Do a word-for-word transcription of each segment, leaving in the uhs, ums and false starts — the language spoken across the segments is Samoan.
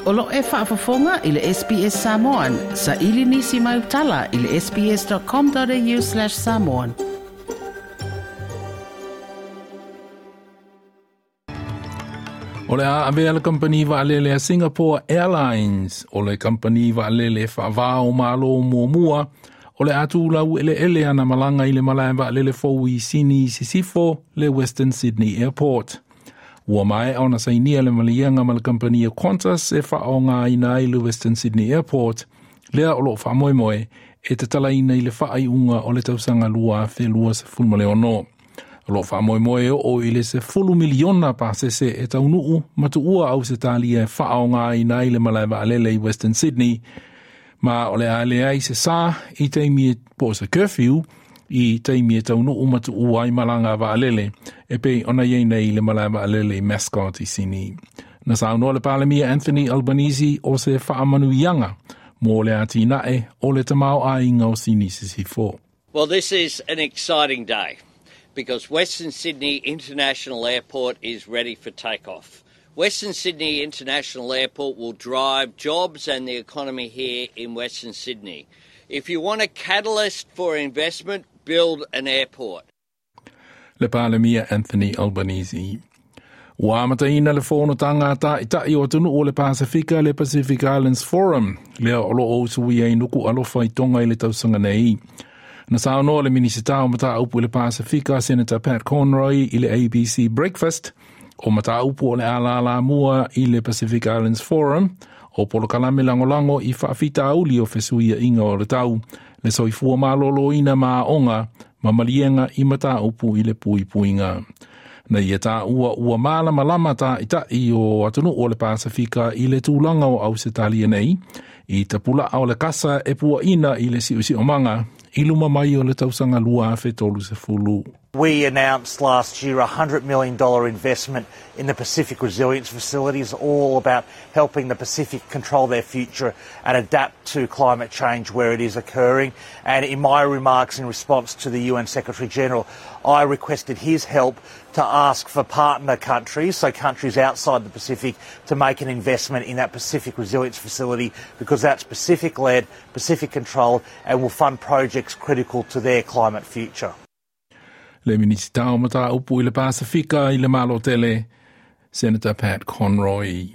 O lo e faafofoga i le S B S Samoan, sa ili nisi mai utala i le sbs.com.au slash samoan. O le a avea le kampani vaalele a Singapore Airlines, o le kampani vaalele faavao malo muamua, o le atu lau ele ele ana malanga i le malae vaalele fou i Sini Sisifo le Western Sydney Airport. Ua mae ona sainia le malianga ma le kampani a Qantas e whaonga ina ai le Western Sydney Airport, lea o lo whaamoemoe e tatalaina i le whaaiunga o le tausanga lua afe lua sefulu ma le ono. O lo whaamoemoe o i le sefulu miliona pasese e taunuu matuua au se talia e whaonga ina ai le malae vaalele i Western Sydney, ma o le aele ai se sa i taimi e po se curfew i taimi e taunuu matuua ai malanga vaalele e pei ona iei nei le malae vaalele i Mascot i Sini. Na saunoa le Palemia Anthony Albanese o se whaamanuianga mō le atinae o le tamao ainga o Sini Sisifo. Well, this is an exciting day because Western Sydney International Airport is ready for takeoff. Western Sydney International Airport will drive jobs and the economy here in Western Sydney. If you want a catalyst for investment, build an airport. Le Palemia Anthony Albanese. Ua amataina le fonotaga taʻitaʻi o atunuu o le Pasifika le Pacific Islands Forum, lea o loo usuia i nuku alofa i Tonga i le tausaga nei. Na saunoa le Minisita o Mataupu i le Pasifika, Senator Pat Conroy i le A B C Breakfast, o Mataupu o le alala mua i le Pacific Islands Forum, o polokalame lagolago i faafitauli o fesuiaiga o le tau, le soifua malōlōina ma aoga ma maliega i mataupu i le puipuiga. Na ia tāua ua malamalama taʻitaʻi o atunuu o le Pasifika i le tulaga o Ausetalia nei, i tapulaa o le kasa e puaʻina i le siʻosiʻomaga i luma mai o le tausaga lua afe tolu sefulu. We announced last year a one hundred million dollars investment in the Pacific Resilience Facilities, all about helping the Pacific control their future and adapt to climate change where it is occurring. And in my remarks in response to the U N Secretary General, I requested his help to ask for partner countries, so countries outside the Pacific, to make an investment in that Pacific Resilience Facility, because that's Pacific-led, Pacific-controlled, and will fund projects critical to their climate future. Le Minisita o Mataupu i le Pasifika i le Malotele, Senator Pat Conroy.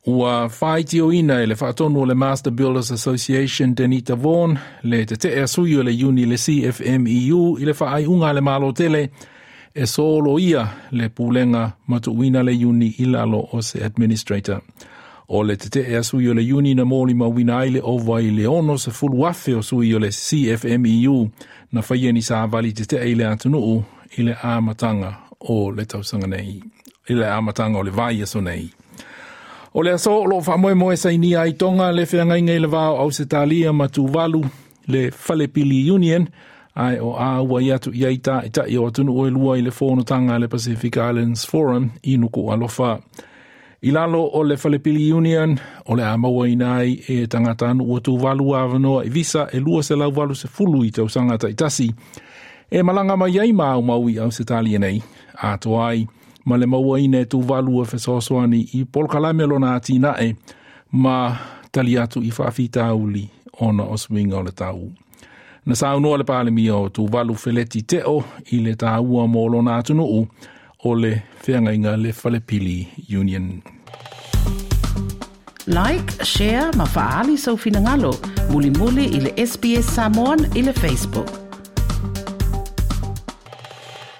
Ua whaitioina i le whaatonu o le Master Builders Association Denita Vaughan, le tetea sui o le uni le C F M E U i le whaaiunga le Malotele, e solo ia le pulenga matuuina le uni i lalo o se administrator. O le tetea sui o le uni na mōli mauina ai le ova i le ono se fulu afe o sui o le C F M E U na whaia ni sāvali tetea i le atunuu i le amatanga o le tausaga nei, i le amatanga o le vai aso nei. O le aso o lo whaamoemoe sainia ai Tonga le wheangaiga i le vao Ausetalia ma Tuvalu le Falepili Union, ai o a ua i atu i ai taʻitaʻi o atunuu e lua i le fonotaga le Pacific Islands Forum i Nuku Alofa. I lalo o le Falepili Union, o le a maua ina ai e tagata ua Tuvalu avanoa i visa e lua selau valu sefulu i tausaga taʻitasi. E malanga mai ai ma aumau i Ausetalia nei, atoa ai ma le maua ina e Tuvalu e fesoasoani i polokalame lona atinae ma tali atu i faafitauli ona o suiga o le tau. Na saunoa le Palemia o Tuvalu Feleti Teo i le tāua mō lona atunuu o le feagaiga le Falepili Union. Like, share ma faali sau finagalo, mulimuli i le S B S Samoan i le Facebook.